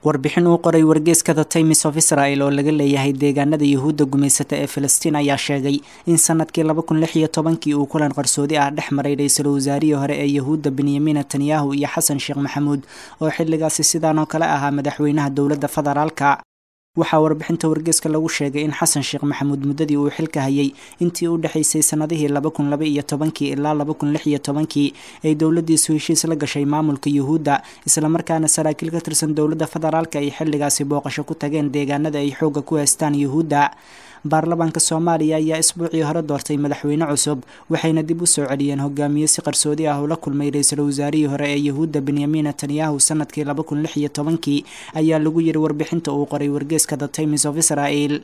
Warbixin uu qoray wargeyska The Times of Israel oo laga leeyahay deegaanada Yuhuudda gumaysata ee Filistiin ayaa sheegay in sanadkii 2016kii uu kulan qarsoodi ah dhex maray ra-iisul wasaarihii hore ee Yuhuudda Benyamin Netanyahu iyo Xasan Sheekh Maxamuud oo xilligaasi sidaan oo kale ahaa madaxweynaha dowladda federaalka. Waxaa warbixinta wargeyska lagu sheegay in Xasan Sheekh Maxamuud muddadii uu xilka hayay intii u dhexaysay sannadihii 2012kii ilaa 2016kii ay dowladdiisu heshiis la gashay maamulka Yuhuudda, islamarkaana saraakiil ka tirsan dowladda federaalka ay xilligaasi booqasho ku tageen deegaanada ay xoogga ku haystaan Yuhuudda. Baarlamaanka Soomaaliya ayaa isbuucii hore doortay madaxweyne cusub, waxayna dib u soo celiyeen hogaamiye si qarsoodi ah ula kulmay ra-iisul wasaarihii hore ee Yuhuudda Benyamin Netanyahu sanadkii 2016kii, ayaa lagu yiri warbixinta uu qoray wargeyska The Times of Israel.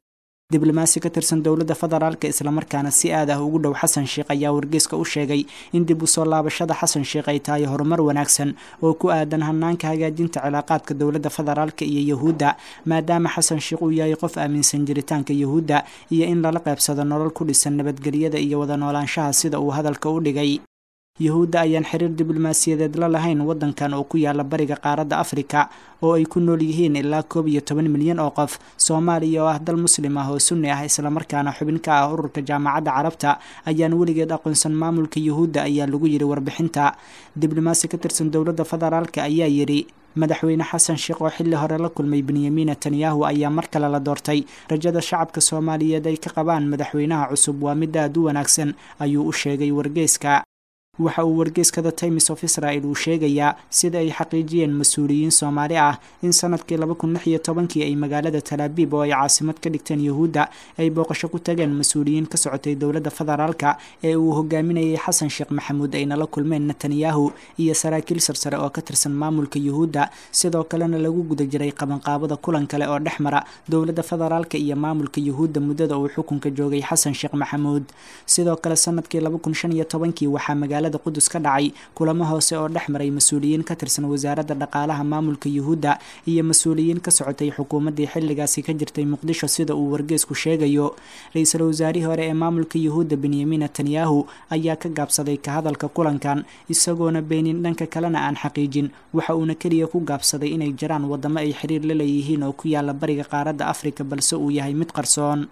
Diblomaasi ka tirsan dowladda federaalka islamarkaana si aad ah ugu dhow Xasan Sheekh ayaa wargeyska u sheegay in dib u soo laabashada Xasan Sheekh ay tahay horumar wanaagsan oo ku aadan hanaanka hagaajinta cilaaqaadka dowladda federaalka iyo Yuhuudda, maadaama Xasan Sheekh uu yahay qof aaminsan jiritaanka Yuhuudda iyo in lala qaybsado nolol ku dhisan nabadgelyada iyo wada noolaanshaha, sida uu hadalka u dhigay. Yuhuudda ayaan xiriir diblomaasiyadeed la lahayn waddankan oo ku yaala bariga qaaradda Afrika oo ay ku nool yihiin ilaa 11 milyan oo qof. Soomaaliya oo ah dal muslim ah oo sunni ah islamarkaana xubin ka ah ururka Jaamacadda Carabta ayaan weligeed aqoonsan maamulka Yuhuudda, ayaa lagu yidhi warbixinta. Diblomaasi ka tirsan dowladda federaalka ayaa yidhi, madaxweyne Xasan Sheekh oo xilli hore la kulmay Benyamin Netanyahu ayaa mar kale la doortay. Rajada shacabka Soomaaliyeed ay ka qabaan madaxweynaha cusub waa mid aad u wanaagsan, ayuu u sheegay wargeyska. Waxa uu wargeyska The Times of Israel uu sheegayaa sida ay xaqiijiyeen mas-uuliyiin Soomaali ah in sanadkii 2016kii ay magaalada Talaabiib oo ay caasimad ka dhigteen Yuhuudda ay booqasho ku tageen mas-uuliyiin ka socotay dowladda federaalka ee uu hogaaminayay Xasan Sheekh Maxamuud, ayna la kulmeen Netanyahu iyo saraakiil sarsare oo ka tirsan maamulka Yuhuudda, sidoo kalena lagu guda jiray qabanqaabada kulan kale oo dhex mara dowladda federaalka iyo maamulka Yuhuudda muddada uu xukunka joogay Xasan Sheekh Maxamuud. Sidoo kale sanadkii 2015kii waxaa magaalada Qudus ka dhacay kulamo hoose oo dhex maray mas-uuliyiin ka tirsan wasaaradda dhaqaalaha maamulka Yuhuudda iyo mas-uuliyiin ka socotay xukuumaddii xilligaasi ka jirtay Muqdisho, sida uu wargeysku sheegayo. Ra-iisul wasaarihii hore ee maamulka Yuhuudda Benyamin Netanyahu ayaa ka gaabsaday ka hadalka kulankan, isagoona beenin dhanka kalena aan xaqiijin, waxa uuna keliya ku gaabsaday inay jiraan waddamo ay xiriir la leeyihiin oo ku yaala bariga qaaradda Afrika, balse uu yahay mid qarsoon.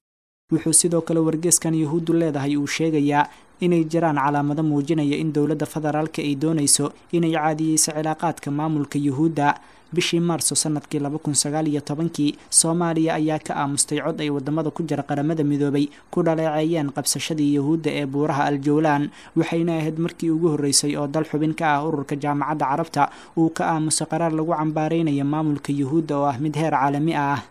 Wuxuu sidoo kale wargeyskan Yuhuuddu leedahay uu sheegayaa inay jiraan calaamado muujinaya in dowladda federaalka ay doonayso inay caadiyeyso cilaaqaadka maamulka Yuhuudda. Bishii Maarso sanadkii 2019kii Soomaaliya ayaa ka aamustay cod ay wadamada ku jira Qaramada Midoobay ku dhaleeceeyeen qabsashadii Yuhuudda ee buuraha Aljowlaan, waxayna ahayd markii ugu horreysay oo dal xubin ka ah ururka Jaamacadda Carabta uu ka aamuso qaraar lagu cambaareynayo maamulka Yuhuudda oo ah mid heer caalami ah.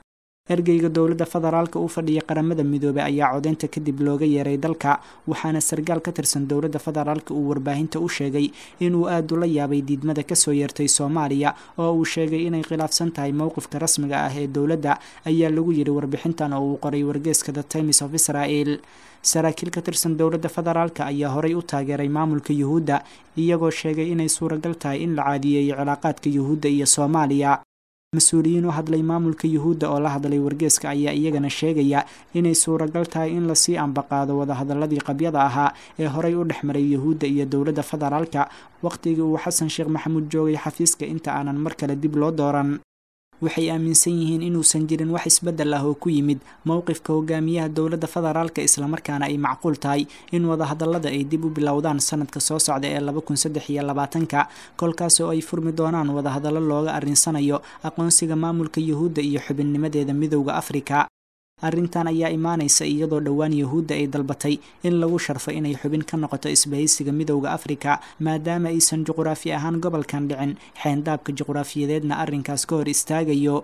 Ergeyga dowladda federaalka u fadhiya Qaramada Midoobay ayaa codeynta kadib looga yeeray dalka, waxaana sargaal ka tirsan dowladda federaalka uu warbaahinta u sheegay inuu aad ula yaabay diidmada kasoo yeertay Soomaaliya oo uu sheegay inay khilaafsan tahay mowqifka rasmiga ah ee dowladda, ayaa lagu yidhi warbixintan oo uu qoray wargeyska The Times of Israel. Saraakiil ka tirsan dowladda federaalka ayaa horay u taageeray maamulka Yuhuudda, iyagoo sheegay inay suuragal tahay in la caadiyeeyo cilaaqaadka Yuhuudda iyo Soomaaliya. Mas-uuliyiin u hadlay maamulka Yuhuudda oo la hadlay wargeeska ayaa iyagana sheegaya inay suuragal tahay in lasii ambaqaado wadahadaladii qabyada ahaa ee horay u dhex maray Yuhuudda iyo dowladda federaalka wakhtigii uu Xasan Sheekh Maxamuud joogay xafiiska inta aanan mar kale dib loo dooran. Waxay aaminsan yihiin inuusan jirin wax isbeddel ah oo ku yimid mowqifka hogaamiyaha dowladda federaalka, islamarkaana ay macquul tahay in wadahadallada ay dib u bilowdaan sanadka soo socda ee 2023-ka, kolkaas oo ay furmi doonaan wadahadallo looga arrinsanayo aqoonsiga maamulka Yuhuudda iyo xubinnimadeeda Midowda Afrika. Arrintan ayaa imaanaysa iyadoo dhowaan Yuhuudda ay dalbatay in lagu sharfo inay xubin ka noqoto isbahaysiga Midowda Afrika, maadaama aysan juquraafi ahaan gobolkan dhicin, xeendaabka juquraafiyadeedna arrinkaas ka hor istaagayo.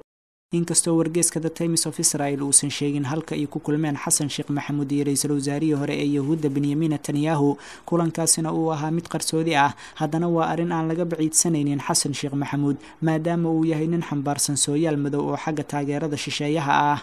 Inkastoo wargeyska The Times of Israel uusan sheegin halka ay ku kulmeen Xasan Sheekh Maxamuud iyo ra-iisul wasaarihii hore ee Yuhuudda Benyamin Netanyahu, kulankaasina uu ahaa mid qarsoodi ah, haddana waa arrin aan laga baciidsanaynin Xasan Sheekh Maxamuud, maadaama uu yahay nin xambaarsan sooyaal madow oo xagga taageerada shisheeyaha ah.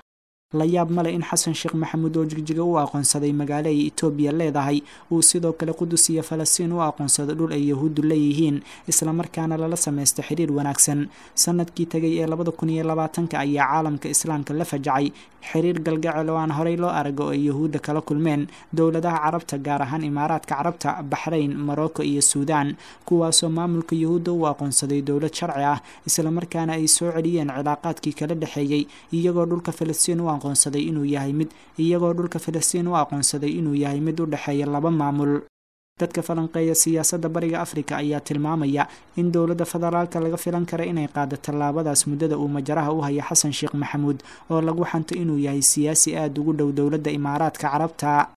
La yaab male in Xasan Sheekh Maxamuud oo Jigjiga u aqoonsaday magaalo ay Itoobiya leedahay uu sidoo kale Qudus iyo Falastiin u aqoonsado dhul ay Yahuuddu leeyihiin, islamarkaana lala samaysto xiriir wanaagsan. Sanadkii tegay ee 2020-ka ayaa caalamka Islaamka la fajacay xiriir galgacel oo aan horey loo arag oo ay Yahuudda kala kulmeen dowladaha Carabta, gaar ahaan Imaaraadka Carabta, Baxrayn, Morocco iyo Suudaan, kuwaasoo maamulka Yahuudda u aqoonsaday dowlad sharci ah, islamarkaana ay soo celiyeen cilaaqaadkii kala dhexeeyey, iyagoo dhulka Falastiin u aqoonsaday inuu yahay mid iyagoo dhulka Falastiin u aqoonsaday inuu yahay mid u dhexeeya laba maamul. Dadka falanqeeya siyaasadda Bariga Afrika ayaa tilmaamaya in dowladda federaalka laga filan kara inay qaado tallaabadaas muddada uu majaraha u haya Xasan Sheekh Maxamuud, oo lagu xanto inuu yahay siyaasi aada ugu dhow dowladda Imaaraadka Carabta.